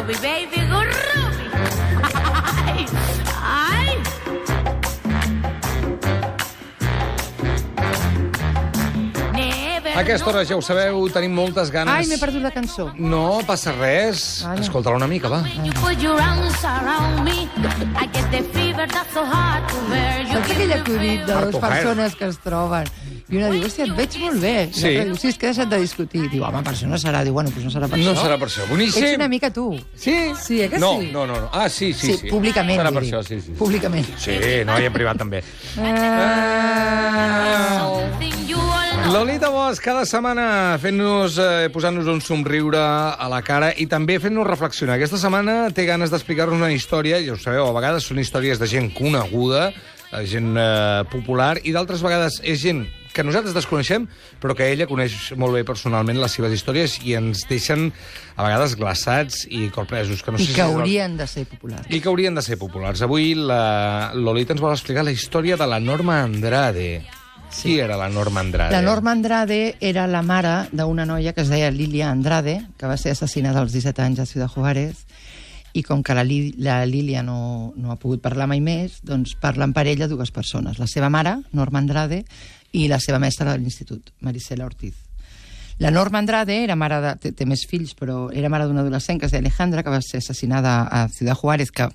Ruby, baby, go Ruby. Ay. A aquesta hora, ja ho sabeu, tenim moltes ganes... Ai, m'he perdut la cançó. No passa res. Vale. Escolta-la una mica, va. Saps aquell acudit de dues Harto persones que es troben? I una diu, hòstia, et veig molt bé. I Sí. l'altra diu, sí, és que he deixat de discutir. Diu, home, per això no serà. Diu, bueno, doncs no serà per No això. serà per això. Boníssim. Ets una mica tu. Sí? Sí, eh que no, sí? No. Ah, sí. Públicament. Serà per vull dir. això, sí. Públicament. Sí, no, i en privat també. Lolita Bosch, cada setmana fent-nos, posant-nos un somriure a la cara i també fent-nos reflexionar. Aquesta setmana té ganes d'explicar-nos una història, ja ho sabeu, a vegades són històries de gent coneguda, gent popular, i d'altres vegades és gent que nosaltres desconeixem, però que ella coneix molt bé personalment les seves històries i ens deixen, a vegades, glaçats i corpresos. Que no sé I que haurien de ser populars. I que haurien de ser populars. Avui la Lolita ens vol explicar la història de la Norma Andrade. Sí. Qui era la Norma Andrade? La Norma Andrade era la mare d'una noia que es deia Lilia Andrade, que va ser assassinada als 17 anys a Ciudad Juárez, i com que la Lilia no ha pogut parlar mai més, doncs parlen per ella dues persones. La seva mare, Norma Andrade, i la seva mestra de l'institut, Marisela Ortiz. La Norma Andrade era mare de... té més fills, però era mare d'una adolescent que es deia Alejandra, que va ser assassinada a Ciudad Juárez, que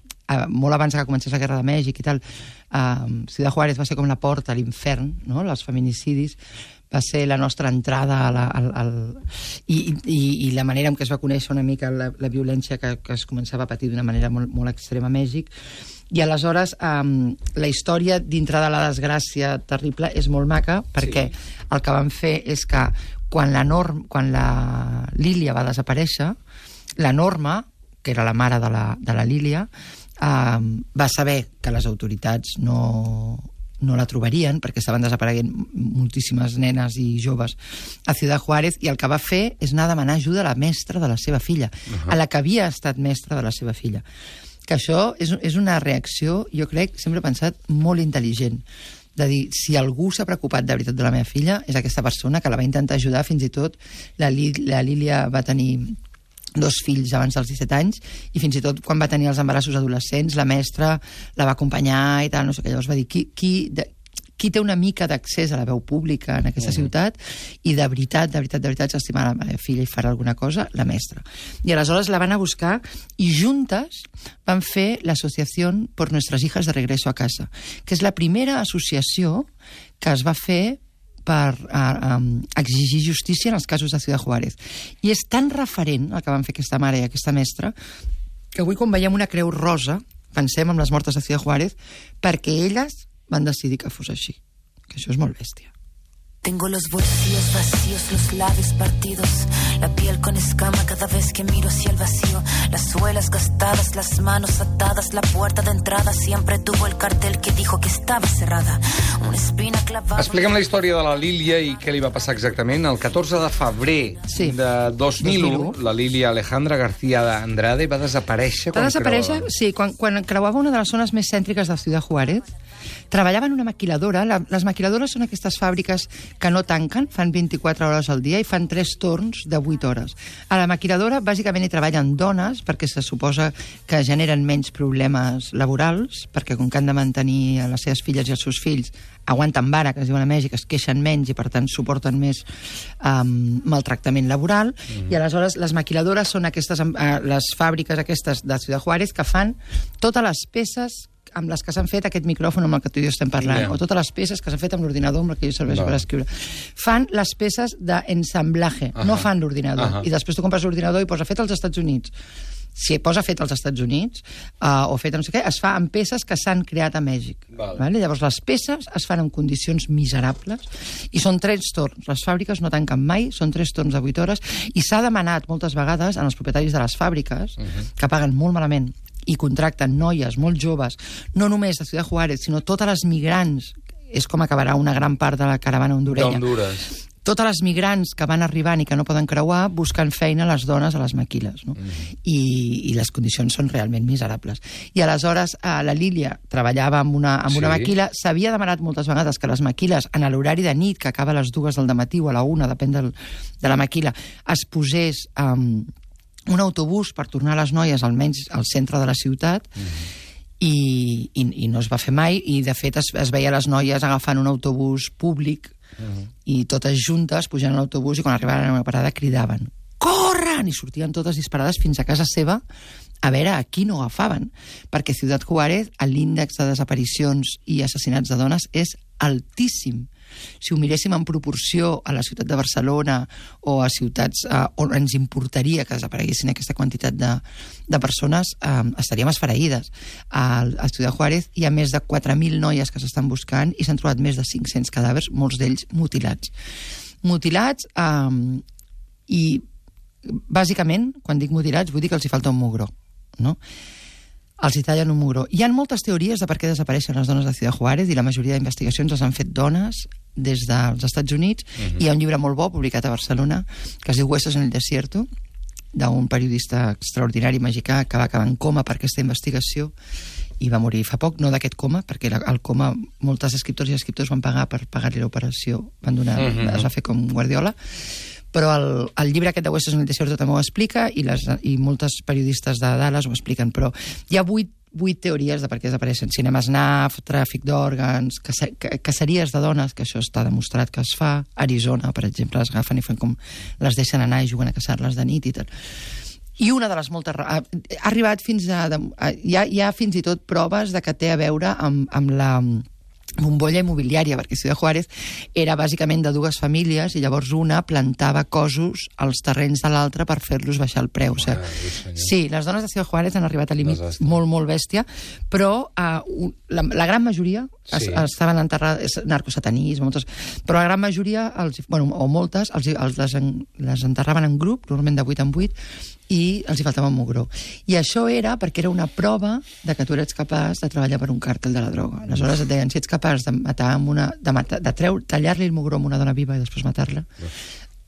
molt abans que comencés la Guerra de Mèxic i tal, Ciudad Juárez va ser com la porta a l'infern, no? Els feminicidis, va ser la nostra entrada i la manera en què es va conèixer una mica la violència que es començava a patir d'una manera molt extrema a Mèxic. I aleshores la història dintre de la desgràcia terrible és molt maca, perquè el que van fer és que quan la Lília va desaparèixer, la Norma, que era la mare de la Lília, va saber que les autoritats no la trobarien, perquè estaven desapareguent moltíssimes nenes i joves a Ciudad Juárez, i el que va fer és anar a demanar ajuda a la mestra de la seva filla, a la que havia estat mestra de la seva filla. Que això és una reacció, jo crec, sempre he pensat, molt intel·ligent, de dir, si algú s'ha preocupat de veritat de la meva filla, és aquesta persona que la va intentar ajudar. Fins i tot la Lília va tenir 2 fills abans dels 17 anys, i fins i tot quan va tenir els embarassos adolescents, la mestra la va acompanyar i tal, no sé què. Llavors va dir, qui té una mica d'accés a la veu pública en aquesta ciutat i de veritat s'estima la meva filla i farà alguna cosa, la mestra. I aleshores la van a buscar i juntes van fer l'Associació por Nuestras Hijas de Regreso a Casa, que és la primera associació que es va fer per exigir justícia en els casos de Ciudad Juárez. I és tan referent el que van fer aquesta mare i aquesta mestra que avui, quan veiem una creu rosa, pensem en les mortes de Ciudad Juárez, perquè elles van decidir que fos així. Que això és molt bèstia. Tengo los bolsillos vacíos, los labios partidos, la piel con escama cada vez que miro hacia el vacío, las suelas gastadas, las manos atadas, la puerta de entrada siempre tuvo el cartel que dijo que estaba cerrada, una espina clavada... Expliquem la història de la Lília i què li va passar exactament. El 14 de febrer de 2001, la Lília Alejandra García Andrade va desaparèixer. Va desaparèixer, sí, quan creuava una de les zones més cèntriques de Ciudad Juárez. Treballava en una maquiladora. Les maquiladores són aquestes fàbriques que no tanquen, fan 24 hores al dia i fan 3 torns de 8 hores. A la maquiladora, bàsicament, hi treballen dones, perquè se suposa que generen menys problemes laborals, perquè com que han de mantenir a les seves filles i els seus fills, aguanten vara, que es diuen a Mèxic, es queixen menys i, per tant, suporten més maltractament laboral. I aleshores les maquiladores són les fàbriques aquestes de Ciudad Juárez que fan totes les peces amb les que s'han fet aquest micròfon amb el que tu i jo estem parlant, o totes les peces que s'han fet amb l'ordinador amb el que jo serveixo per escriure. Fan les peces d'ensamblatge, no fan l'ordinador. I després tu compres l'ordinador i posa fet als Estats Units. Si posa fet als Estats Units o fet a no sé què, es fa amb peces que s'han creat a Mèxic. Llavors les peces es fan en condicions miserables i són 3 torns. Les fàbriques no tanquen mai, són 3 torns de 8 hores, i s'ha demanat moltes vegades als propietaris de les fàbriques, que paguen molt malament i contracten noies molt joves, no només de Ciudad Juárez, sinó totes les migrants. És com acabarà una gran part de la caravana hondurenya. Totes les migrants que van arribant i que no poden creuar busquen feina a les dones a les maquiles, no? I les condicions són realment miserables. I aleshores la Lília treballava amb una maquila. S'havia demanat moltes vegades que les maquiles, en l'horari de nit, que acaba a les 2 del matí o a la 1, depèn de la maquila, es posés un autobús per tornar les noies almenys al centre de la ciutat, i no es va fer mai, i de fet es veia les noies agafant un autobús públic i totes juntes pujant a l'autobús, i quan arribaven a una parada cridaven corren, i sortien totes disparades fins a casa seva a veure a qui no agafaven, perquè Ciutat Juárez l'índex de desaparicions i assassinats de dones és altíssim. Si ho miréssim en proporció a la ciutat de Barcelona o a ciutats on ens importaria que desapareguessin aquesta quantitat de persones, estaríem esfereïdes. A Ciutat Juárez hi ha més de 4.000 noies que s'estan buscant i s'han trobat més de 500 cadàvers, molts d'ells mutilats. Mutilats i, bàsicament, quan dic mutilats, vull dir que els hi falta un mugró, no? Els hi tallen un mugró. Hi ha moltes teories de per què desapareixen les dones de Ciutat Juárez, i la majoria d'investigacions les han fet dones des dels Estats Units. Hi ha un llibre molt bo publicat a Barcelona que es diu Huesos en el desierto, d'un periodista extraordinari mexicà que va acabar en coma per aquesta investigació i va morir fa poc, no d'aquest coma, perquè el coma moltes escriptors i escriptors van pagar per pagar-li l'operació, van donar, es va fer com Guardiola. Però el llibre aquest de Huesos en el desierto també ho explica, i moltes periodistes de Dallas ho expliquen, però hi ha 8 teories de per què desapareixen. Cinema snaf, tràfic d'òrgans, caceries de dones, que això està demostrat que es fa. Arizona, per exemple, les agafen i fan com les deixen anar i juguen a caçar-les de nit i tal. I una de les moltes... Ha arribat fins a... Hi ha fins i tot proves de que té a veure amb la bombolla immobiliària, perquè Ciutat Juárez era bàsicament de dues famílies, i llavors una plantava cossos als terrenys de l'altra per fer-los baixar el preu. Sí, les dones de Ciutat Juárez han arribat a límit molt, molt bèstia, però la gran majoria estaven enterrades, narcosatanisme, però la gran majoria, o moltes, les enterraven en grup, normalment de 8 en 8, i els hi faltava un mugró. I això era perquè era una prova de que tu eres capaç de treballar per un càrtel de la droga. Aleshores et deien, si ets capaç de matar tallar-li el mugró a una dona viva i després matar-la,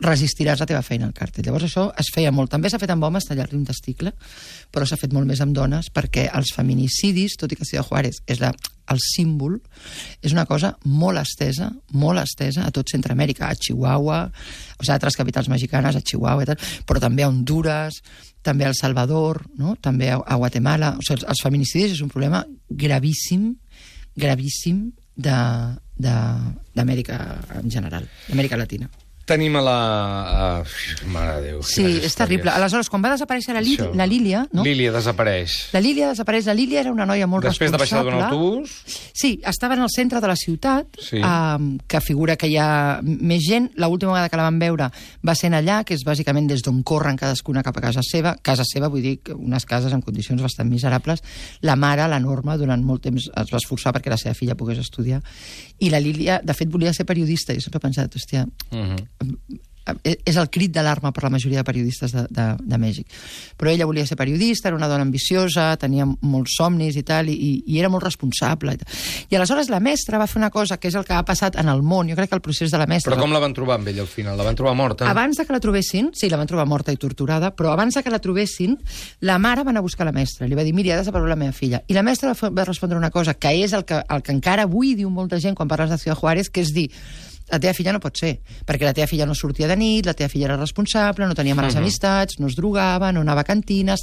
resistiràs la teva feina al càrtel. Llavors això es feia molt. També s'ha fet amb homes, tallar-li un testicle, però s'ha fet molt més amb dones, perquè els feminicidis, tot i que Ciutat Juárez és el símbol, és una cosa molt estesa a tot Centroamèrica, a Chihuahua, o sigui, a altres capitals mexicanes, a Chihuahua i tal, però també a Honduras, també a El Salvador, no? També a Guatemala. O sigui, els feminicidis és un problema gravíssim d'Amèrica en general, d'Amèrica Latina. Tenim a la... Mare de Déu. Sí, és terrible. Aleshores, quan va desaparèixer la Lília... No? Lília desapareix. La Lília desapareix. La Lília era una noia molt responsable. Després de baixar d'un autobús? Sí, estava en el centre de la ciutat, que figura que hi ha més gent. L'última vegada que la van veure va ser allà, que és bàsicament des d'on corren cadascuna cap a casa seva. Casa seva, vull dir, unes cases en condicions bastant miserables. La mare, la Norma, durant molt temps es va esforçar perquè la seva filla pogués estudiar. I la Lília, de fet, volia ser periodista. Jo sempre he pensat, hòstia... és el crit d'alarma per la majoria de periodistes de Mèxic. Però ella volia ser periodista, era una dona ambiciosa, tenia molts somnis i tal, i era molt responsable. I aleshores la mestra va fer una cosa que és el que ha passat en el món. Jo crec que el procés de la mestra... Però com la van trobar amb ella al final? La van trobar morta? Abans de que la trobessin, sí, la van trobar morta i torturada, però abans de que la trobessin, la mare va anar a buscar la mestra. Li va dir, mira, ha desaparegut la meva filla. I la mestra va respondre una cosa, que és el que encara avui diu molta gent quan parles de Ciutat Juárez, que és dir, la teva filla no pot ser, perquè la teva filla no sortia de nit, la teva filla era responsable, no tenia males amistats, no es drogava, no anava a cantines...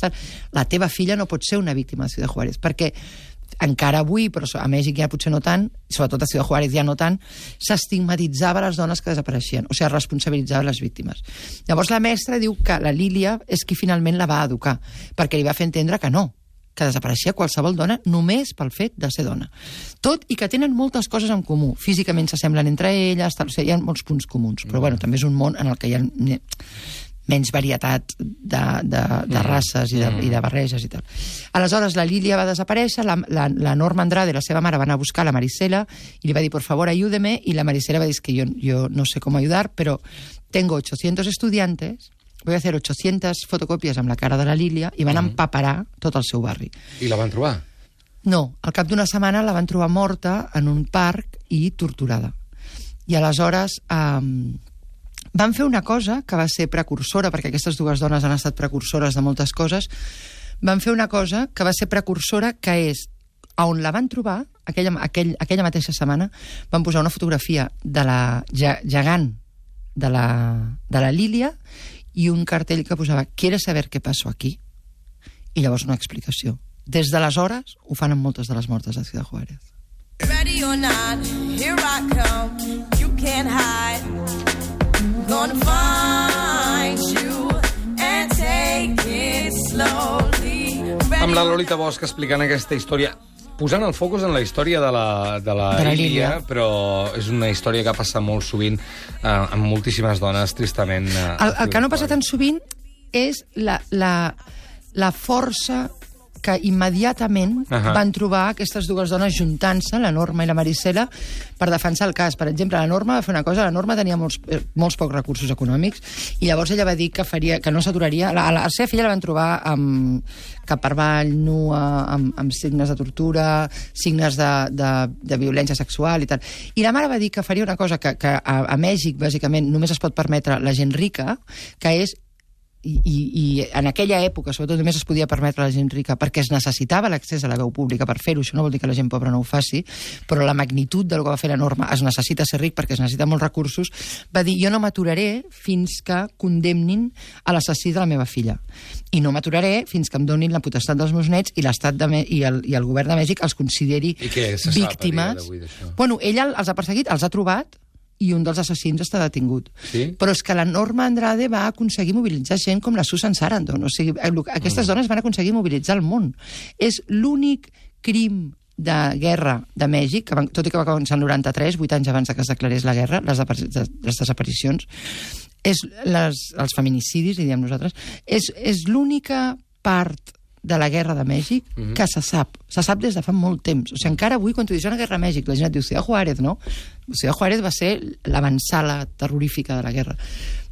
La teva filla no pot ser una víctima de Ciutat Juárez, perquè encara avui, però a Mèxic ja potser no tant, sobretot a Ciutat Juárez ja no tant, s'estigmatitzava les dones que desapareixien, o sigui, responsabilitzava les víctimes. Llavors la mestra diu que la Lília és qui finalment la va educar, perquè li va fer entendre que no, que desapareixia qualsevol dona només pel fet de ser dona. Tot i que tenen moltes coses en comú. Físicament s'assemblen entre elles, o sigui, hi ha molts punts comuns, però bueno, també és un món en el que hi ha menys varietat de races i de barreges i tal. Aleshores, la Lília va desaparèixer, la Norma Andrade, la seva mare, va anar a buscar la Marisela i li va dir, por favor, ayúdeme, i la Marisela va dir que yo no sé cómo ayudar, pero tengo 800 estudiantes, voy a hacer 800 fotocopies amb la cara de la Lília, i van empaperar tot el seu barri. I la van trobar? No, al cap d'una setmana la van trobar morta en un parc i torturada. I aleshores van fer una cosa que va ser precursora, perquè aquestes dues dones han estat precursores de moltes coses, van fer una cosa que va ser precursora, que és, on la van trobar, aquella mateixa setmana, van posar una fotografia de la gegant de la Lília i un cartell que posava ¿Quieres saber qué pasó aquí? I llavors una explicació. Des d'aleshores ho fan amb moltes de les mortes de Ciudad Juárez. Ready or not, here I come. You can't hide. Gonna find you and take it slowly. Amb la Lolita Bosch explicant aquesta història, posant el focus en la història de la Lília, però és una història que ha passat molt sovint amb moltíssimes dones, tristament. El que no passa tan sovint és la força que immediatament van trobar aquestes dues dones juntant-se, la Norma i la Marisela, per defensar el cas. Per exemple, la Norma va fer una cosa, la Norma tenia molts pocs recursos econòmics, i llavors ella va dir que no s'aturaria. A la seva filla la van trobar cap per avall, nua, amb signes de tortura, signes de violència sexual i tal. I la mare va dir que faria una cosa que a Mèxic, bàsicament, només es pot permetre la gent rica, que és i en aquella època, sobretot, només es podia permetre a la gent rica perquè es necessitava l'accés a la veu pública per fer-ho. Això no vol dir que la gent pobra no ho faci, però la magnitud del que va fer la Norma, es necessita ser ric perquè es necessita molts recursos, va dir, jo no m'aturaré fins que condemnin a l'assassí de la meva filla. I no m'aturaré fins que em donin la potestat dels meus nets i l'estat i el govern de Mèxic els consideri víctimes. Bueno, ella els ha perseguit, els ha trobat, i un dels assassins està detingut. Sí? Però és que la Norma Andrade va aconseguir mobilitzar gent com la Susan Sarandon. O sigui, aquestes dones van aconseguir mobilitzar el món. És l'únic crim de guerra de Mèxic, tot i que va començar el 93, 8 anys abans que es declarés la guerra, les desaparicions, els feminicidis, diem nosaltres, és l'única part de la guerra de Mèxic que se sap des de fa molt temps. O sigui, encara avui, quan tu dius una guerra a Mèxic, la gent et diu Ciudad Juárez, no? Ciudad Juárez va ser l'avançala terrorífica de la guerra.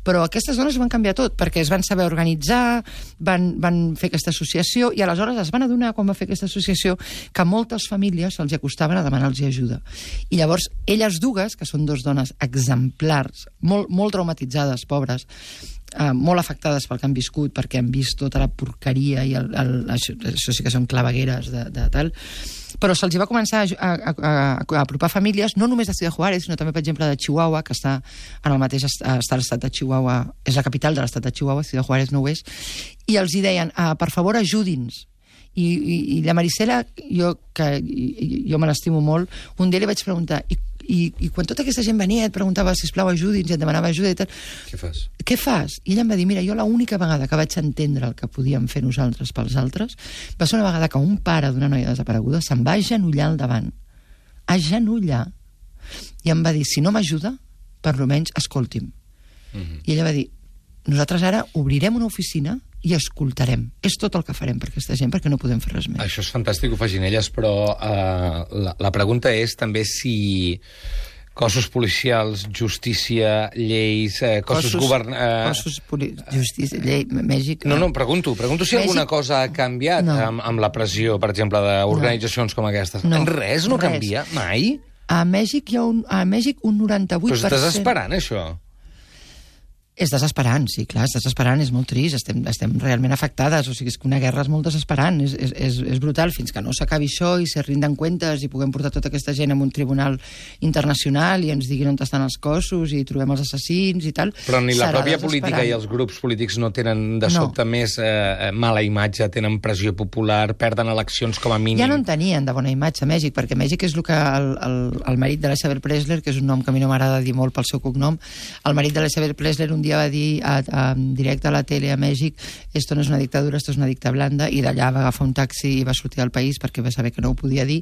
Però aquestes dones ho van canviar tot, perquè es van saber organitzar, van fer aquesta associació, i aleshores es van adonar, quan va fer aquesta associació, que a moltes famílies se'ls acostaven a demanar-los ajuda. I llavors, elles dues, que són dues dones exemplars, molt traumatitzades, pobres, molt afectades pel que han viscut, perquè han vist tota la porqueria i això sí que són clavegueres de tal, però se'ls va començar a apropar famílies, no només de Ciudad Juárez, sinó també, per exemple, de Chihuahua, que està en el mateix estat de Chihuahua, és la capital de l'estat de Chihuahua, Ciudad Juárez no ho és, i els hi deien, per favor, ajudi'ns. I la Marisela, jo me l'estimo molt, un dia li vaig preguntar, i quan tota aquesta gent venia et preguntava, sisplau, ajudi'ns, i et demanava ajuda i tal, què fas? I ella em va dir, mira, jo l'única vegada que vaig entendre el que podíem fer nosaltres pels altres va ser una vegada que un pare d'una noia desapareguda se'n va agenollar al davant, i em va dir, si no m'ajuda, per almenys escolti'm. I ella va dir, nosaltres ara obrirem una oficina i escoltarem. És tot el que farem per aquesta gent, perquè no podem fer res més. Això és fantàstic, ho facin elles, però la pregunta és també si cossos policials, justícia, lleis, justícia, llei, Mèxic... No, pregunto si alguna cosa ha canviat amb la pressió, per exemple, d'organitzacions com aquestes. Res no canvia, mai? A Mèxic hi ha un 98%... Però és desesperant, això. És desesperant, sí, clar, és desesperant, és molt trist, estem realment afectades, o sigui, és que una guerra és molt desesperant, és brutal, fins que no s'acabi això i se rinden comptes i puguem portar tota aquesta gent a un tribunal internacional i ens diguin on estan els cossos i trobem els assassins i tal. Però ni la pròpia política i els grups polítics no tenen de sobte més mala imatge, tenen pressió popular, perden eleccions com a mínim. Ja no en tenien de bona imatge a Mèxic, perquè Mèxic és el que el marit de la Isabel Presley, que és un nom que a mi no m'agrada dir molt pel seu cognom, el marit de la Isabel Presley un dia va dir directe a la tele a Mèxic, esto no és una dictadura, esto és una dicta blanda, i d'allà va agafar un taxi i va sortir del país perquè va saber que no ho podia dir,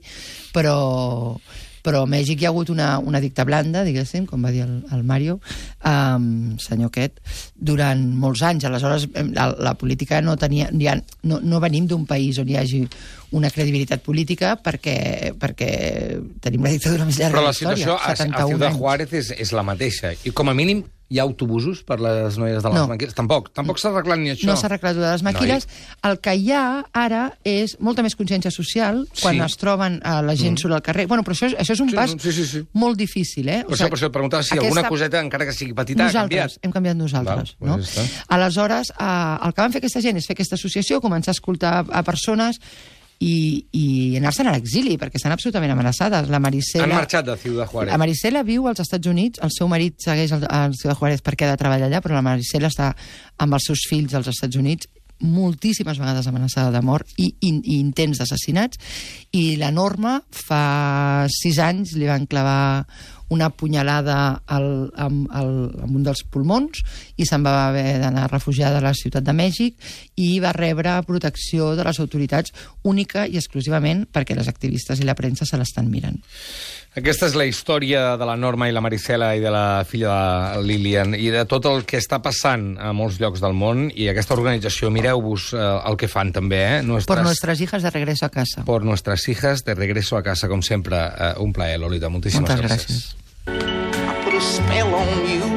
però a Mèxic hi ha hagut una dicta blanda, diguéssim, com va dir el Mario, senyor aquest, durant molts anys. Aleshores, la política no venim d'un país on hi hagi una credibilitat política perquè tenim la dictadura més llarga de la història. Però la situació a Ciudad Juárez és la mateixa. I com a mínim hi ha autobusos per les noies de les maquiles? Tampoc s'ha arreglat ni això. No s'ha arreglat de les maquiles. El que hi ha ara és molta més consciència social quan es troben la gent surt al carrer. Bueno, però això és un pas molt difícil, eh? Per això et preguntava si alguna coseta, encara que sigui petita, ha canviat. Hem canviat nosaltres. Aleshores, el que van fer aquesta gent és fer aquesta associació, començar a escoltar a persones, i anar-se'n a l'exili, perquè estan absolutament amenaçades. La Marisela... Han marxat de Ciudad Juárez. La Marisela viu als Estats Units, el seu marit segueix al Ciudad Juárez perquè ha de treballar allà, però la Marisela està amb els seus fills als Estats Units, moltíssimes vegades amenaçada de mort i intents d'assassinats, i la Norma fa 6 anys li van clavar una punyalada amb un dels pulmons i se'n va haver d'anar refugiada a la Ciutat de Mèxic i va rebre protecció de les autoritats única i exclusivament perquè les activistes i la premsa se l'estan mirant. Aquesta és la història de la Norma i la Marisela i de la filla de Lilian i de tot el que està passant a molts llocs del món, i aquesta organització, mireu-vos el que fan també, Por nuestras hijas de regreso a casa. Por nuestras hijas de regreso a casa, com sempre. Un plaer, Lolita. Moltíssimes gràcies. Gràcies. I put a spell on you.